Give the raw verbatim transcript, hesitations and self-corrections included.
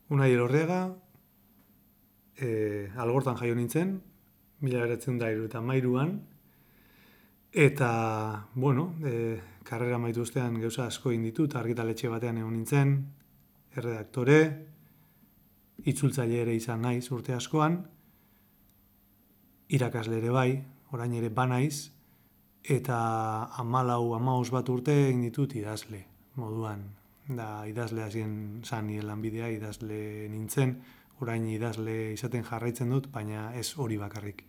Unai Elorriaga, e, Algortan jaio nintzen, mila bederatziehun eta hirurogeita hamairuan, eta, bueno, e, karrera amaitu ostean gauza asko egin ditut, argitaletxe batean egon nintzen, erredaktore, itzultzaile ere izan naiz urte askoan, irakasle ere bai, orain ere banaiz, eta hamalau, hamabost bat urte egin ditut idazle moduan. Da idazle hasien zan nire lanbidea, idazle nintzen, orain idazle izaten jarraitzen dut, baina ez hori bakarrik.